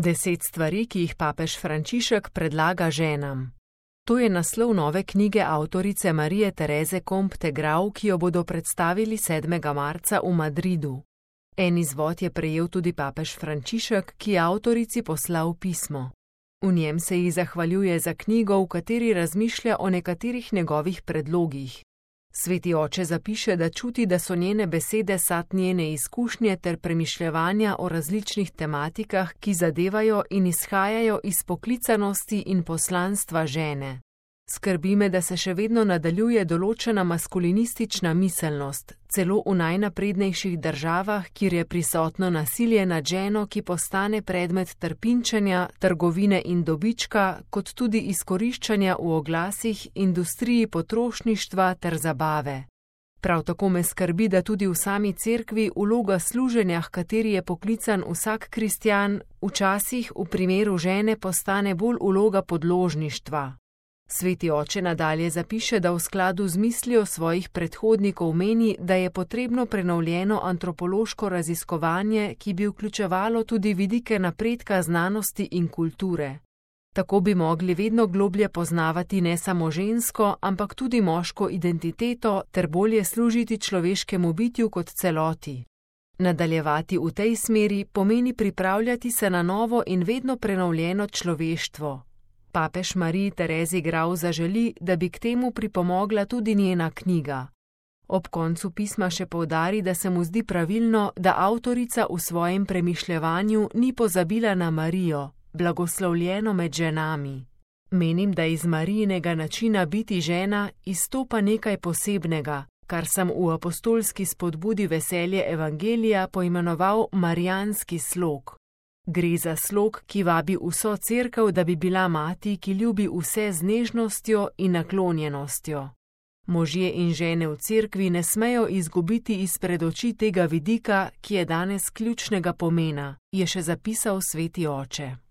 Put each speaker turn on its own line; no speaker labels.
10 stvari, ki jih papež Frančišek predlaga ženam. To je naslov nove knjige avtorice Marije Tereze Compte Grau, ki jo bodo predstavili 7. marca v Madridu. En izvod je prejel tudi papež Frančišek, ki je avtorici poslal pismo. V njem se ji zahvaljuje za knjigo, v kateri razmišlja o nekaterih njegovih predlogih. Sveti oče zapiše, da čuti, da so njene besede sad njene izkušnje ter premišljevanja o različnih tematikah, ki zadevajo in izhajajo iz poklicanosti in poslanstva žene. Skrbi me, da se še vedno nadaljuje določena maskulinistična miselnost, celo v najnaprednejših državah, kjer je prisotno nasilje nad ženo, ki postane predmet trpinčenja, trgovine in dobička, kot tudi izkoriščanja v oglasih, industriji potrošništva ter zabave. Prav tako me skrbi, da tudi v sami cerkvi vloga služenja, h kateri je poklican vsak kristjan, včasih v primeru žene postane bolj vloga podložništva. Sveti oče nadalje zapiše, da v skladu z mislijo svojih predhodnikov meni, da je potrebno prenovljeno antropološko raziskovanje, ki bi vključevalo tudi vidike napredka znanosti in kulture. Tako bi mogli vedno globlje poznavati ne samo žensko, ampak tudi moško identiteto ter bolje služiti človeškemu bitju kot celoti. Nadaljevati v tej smeri pomeni pripravljati se na novo in vedno prenovljeno človeštvo. Papež Mariji Terezi Grau zaželi, da bi k temu pripomogla tudi njena knjiga. Ob koncu pisma še poudari, da se mu zdi pravilno, da avtorica v svojem premišljevanju ni pozabila na Marijo, blagoslovljeno med ženami. Menim, da iz Marijinega načina biti žena izstopa nekaj posebnega, kar sem v apostolski spodbudi Veselje evangelija poimenoval marijanski slog. Gre za slog, ki vabi vso cerkev, da bi bila mati, ki ljubi vse z nežnostjo in naklonjenostjo. Možje in žene v cerkvi ne smejo izgubiti izpred oči tega vidika, ki je danes ključnega pomena, je še zapisal sveti oče.